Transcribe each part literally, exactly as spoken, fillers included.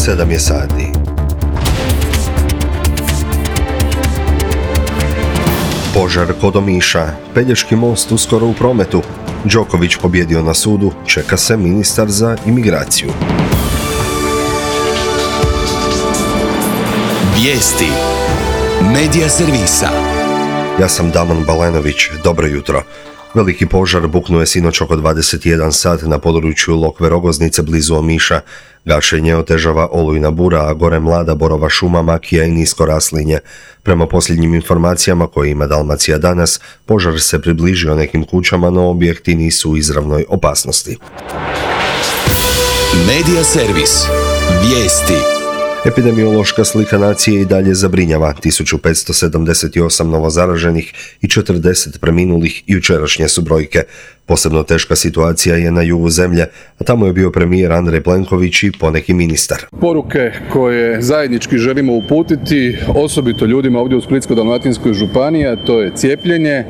sedam je sati. Požar kod Omiša, Pelješki most uskoro u prometu, Đoković pobjedio na sudu, čeka se ministar za imigraciju. Vijesti Medija servisa. Ja sam Damon Balenović, dobro jutro. Veliki požar buknuo je sinoć oko dvadeset jedan sat na području Lokve Rogoznice blizu Omiša. Gašenje otežava olujna bura, a gore mlada borova šuma, makija i nisko raslinje. Prema posljednjim informacijama koje ima Dalmacija danas, požar se približio nekim kućama, no objekti nisu u izravnoj opasnosti. Medija servis. Vijesti. Epidemiološka slika nacije i dalje zabrinjava. tisuću petsto sedamdeset osam novozaraženih i četrdeset preminulih jučerašnje su brojke. Posebno teška situacija je na jugu zemlje, a tamo je bio premijer Andrej Plenković i poneki ministar. Poruke koje zajednički želimo uputiti, osobito ljudima ovdje u Splitsko-dalmatinskoj županiji, a to je cijepljenje,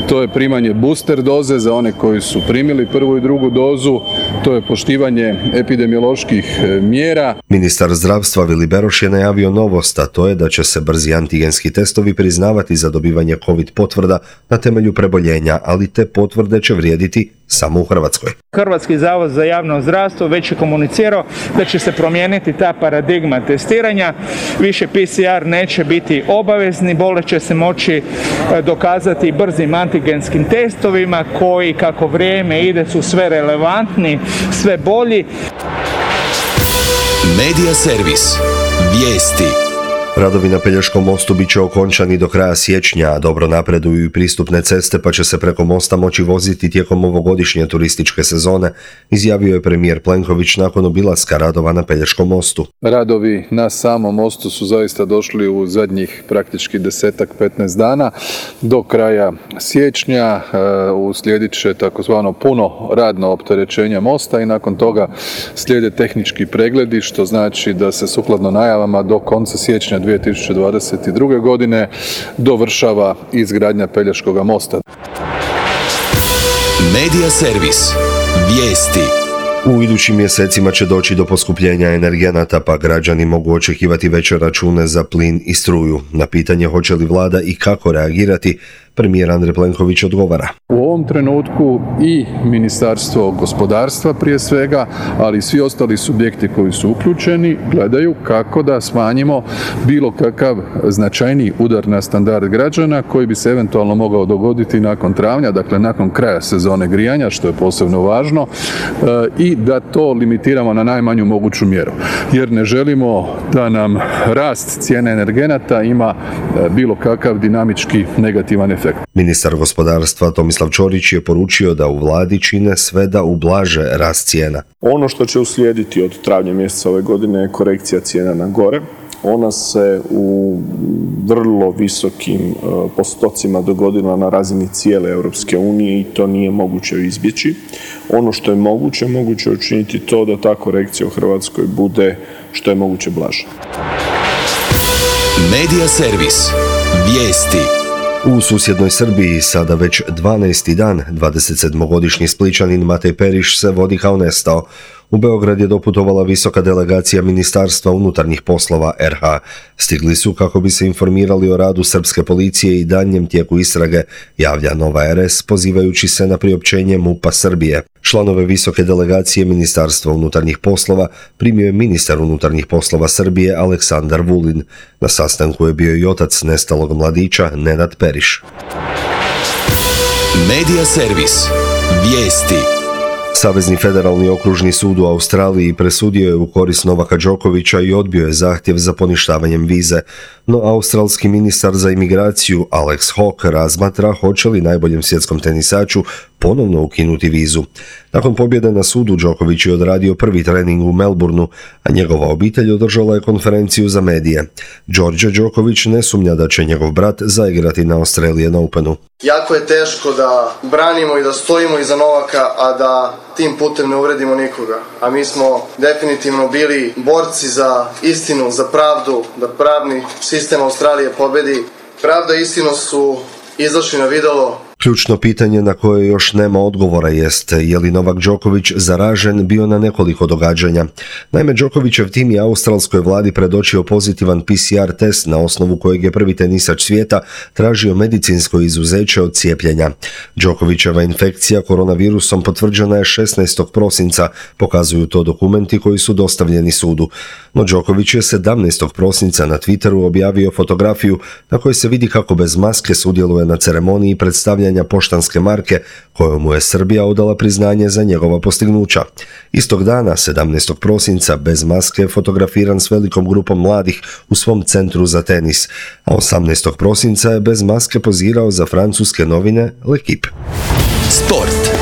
to je primanje booster doze za one koji su primili prvu i drugu dozu, to je poštivanje epidemioloških mjera. Ministar zdravstva Vili Beroš je najavio novost, a to je da će se brzi antigenski testovi priznavati za dobivanje COVID potvrda na temelju preboljenja, ali te potvrde će vrijediti samo u Hrvatskoj. Hrvatski zavod za javno zdravstvo već je komunicirao da će se promijeniti ta paradigma testiranja. Više P C R neće biti obavezni, bolest će se moći dokazati brzim antigenskim testovima koji kako vrijeme ide su sve relevantni, sve bolji. Medija servis. Vijesti. Radovi na Pelješkom mostu bit će okončani do kraja siječnja, a dobro napreduju i pristupne ceste, pa će se preko mosta moći voziti tijekom ovogodišnje turističke sezone, izjavio je premijer Plenković nakon obilaska radova na Pelješkom mostu. Radovi na samom mostu su zaista došli u zadnjih praktički desetak, petnaest dana. Do kraja siječnja uslijedit će takozvano puno radno opterećenje mosta i nakon toga slijede tehnički pregledi, što znači da se sukladno najavama do konca siječnja dvije tisuće dvadeset druge. godine dovršava izgradnja Pelješkoga mosta. Medija servis. Vijesti. U idućim mjesecima će doći do poskupljenja energenata, pa građani mogu očekivati veće račune za plin i struju. Na pitanje hoće li vlada i kako reagirati, premijer Andrej Plenković odgovara. U ovom trenutku i Ministarstvo gospodarstva prije svega, ali i svi ostali subjekti koji su uključeni gledaju kako da smanjimo bilo kakav značajniji udar na standard građana koji bi se eventualno mogao dogoditi nakon travnja, dakle nakon kraja sezone grijanja, što je posebno važno, i da to limitiramo na najmanju moguću mjeru. Jer ne želimo da nam rast cijene energenata ima bilo kakav dinamički negativan efekt. Ministar gospodarstva Tomislav Ćorić je poručio da u vladi čine sve da ublaže rast cijena. Ono što će uslijediti od travnja mjeseca ove godine je korekcija cijena na gore. Ona se u vrlo visokim postocima dogodila na razini cijele Europske unije i to nije moguće izbjeći. Ono što je moguće, moguće je učiniti to da ta korekcija u Hrvatskoj bude što je moguće blaža. Medija servis. Vijesti. U susjednoj Srbiji sada već dvanaesti dan dvadesetsedmogodišnji Splićanin Matej Periš se vodi kao nestao. U Beograd je doputovala visoka delegacija Ministarstva unutarnjih poslova R H. Stigli su kako bi se informirali o radu srpske policije i daljnjem tijeku istrage, javlja Nova R S pozivajući se na priopćenje MUP-a Srbije. Članove visoke delegacije Ministarstva unutarnjih poslova primio je ministar unutarnjih poslova Srbije Aleksandar Vulin. Na sastanku je bio i otac nestalog mladića Nenad Periš. Medija servis. Vijesti. Savezni federalni okružni sud u Australiji presudio je u korist Novaka Đokovića i odbio je zahtjev za poništavanjem vize, no australski ministar za imigraciju Alex Hawke razmatra hoće li najboljem svjetskom tenisaču ponovno ukinuti vizu. Nakon pobjede na sudu Đoković je odradio prvi trening u Melbourneu, a njegova obitelj održala je konferenciju za medije. Đorđe Đoković ne sumnja da će njegov brat zaigrati na Australian Openu. Jako je teško da branimo i da stojimo iza Novaka, a da tim putem ne uvredimo nikoga. A mi smo definitivno bili borci za istinu, za pravdu, da pravni sistem Australije pobedi. Pravda i istina su izašli na videlo. Ključno pitanje na koje još nema odgovora jest je li Novak Đoković zaražen bio na nekoliko događanja. Naime, Đokovićev tim je australskoj vladi predočio pozitivan P C R test na osnovu kojeg je prvi tenisač svijeta tražio medicinsko izuzeće od cijepljenja. Đokovićeva infekcija koronavirusom potvrđena je šesnaestog prosinca, pokazuju to dokumenti koji su dostavljeni sudu. No Đoković je sedamnaestog prosinca na Twitteru objavio fotografiju na kojoj se vidi kako bez maske sudjeluje na ceremoniji predstavljanja poštanske marke kojom mu je Srbija odala priznanje za njegova postignuća. Istog dana, sedamnaestog prosinca, bez maske je fotografiran s velikom grupom mladih u svom centru za tenis, a osamnaestog prosinca je bez maske pozirao za francuske novine L'Equipe. Sport.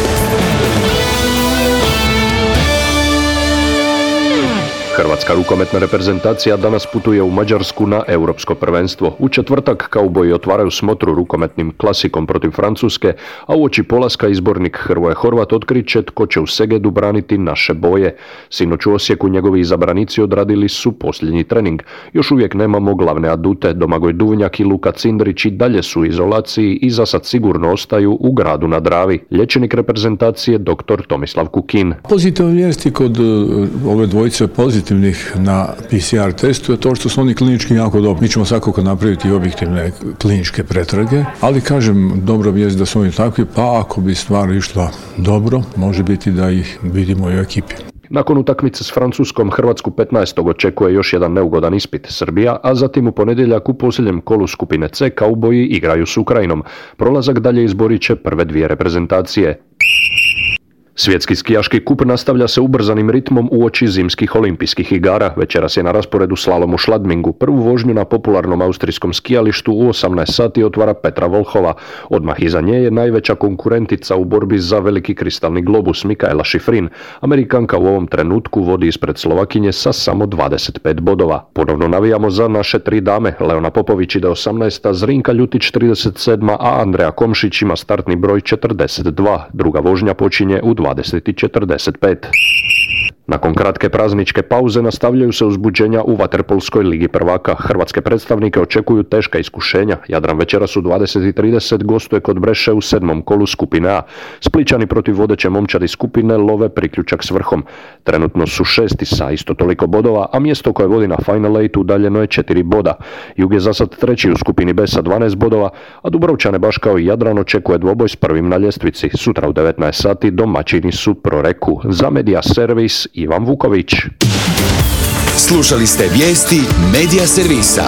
Hrvatska rukometna reprezentacija danas putuje u Mađarsku na europsko prvenstvo. U četvrtak kauboji otvaraju smotru rukometnim klasikom protiv Francuske, a uoči polaska izbornik Hrvoje Horvat otkriće tko će u Segedu braniti naše boje. Sinoć u Osijeku njegovi izabranici odradili su posljednji trening. Još uvijek nemamo glavne adute. Domagoj Duvnjak i Luka Cindrić i dalje su u izolaciji i za sad sigurno ostaju u Gradu na Dravi. Liječnik reprezentacije dr. Tomislav Kukin. Pozitivne vijesti kod ove dvojice pozitivnih na P C R testu je to što su oni klinički jako dobri. Mi ćemo svakako napraviti objektivne kliničke pretrage, ali kažem, dobra vijest da su oni takvi, pa ako bi stvar išla dobro, može biti da ih vidimo i u ekipi. Nakon utakmice s Francuskom, Hrvatsku petnaestog očekuje još jedan neugodan ispit Srbija, a zatim u ponedjeljak u posljednjem kolu skupine C kauboji igraju s Ukrajinom. Prolazak dalje izborit će prve dvije reprezentacije. Svjetski skijaški kup nastavlja se ubrzanim ritmom uoči zimskih olimpijskih igara. Večeras je na rasporedu slalom u Šladmingu. Prvu vožnju na popularnom austrijskom skijalištu u osamnaest sati otvara Petra Volhova. Odmah iza nje je najveća konkurentica u borbi za veliki kristalni globus Mikaela Šifrin. Amerikanka u ovom trenutku vodi ispred Slovakinje sa samo dvadeset pet bodova. Ponovno navijamo za naše tri dame. Leona Popović ide osamnaesta, Zrinka Ljutić trideset sedma, a Andreja Komšić ima startni broj četrdeset dva. Druga vožnja počinje u dvadeset i četrdeset pet. Nakon kratke prazničke pauze nastavljaju se uzbuđenja u vaterpolskoj ligi prvaka. Hrvatske predstavnike očekuju teška iskušenja. Jadran večeras u dvadeset i trideset gostuje kod Breše u sedmom kolu skupine A. Splićani protiv vodeće momčadi skupine love priključak s vrhom. Trenutno su šesti sa isto toliko bodova, a mjesto koje vodi na Final Eight udaljeno je četiri boda. Jug je za sad treći u skupini B sa dvanaest bodova, a Dubrovčane baš kao i Jadran očekuje dvoboj s prvim na ljestvici. Sutra u devetnaest sati domaćini su Proreku. Za Media Servis Ivan Vuković. Slušali ste vijesti Media Servisa.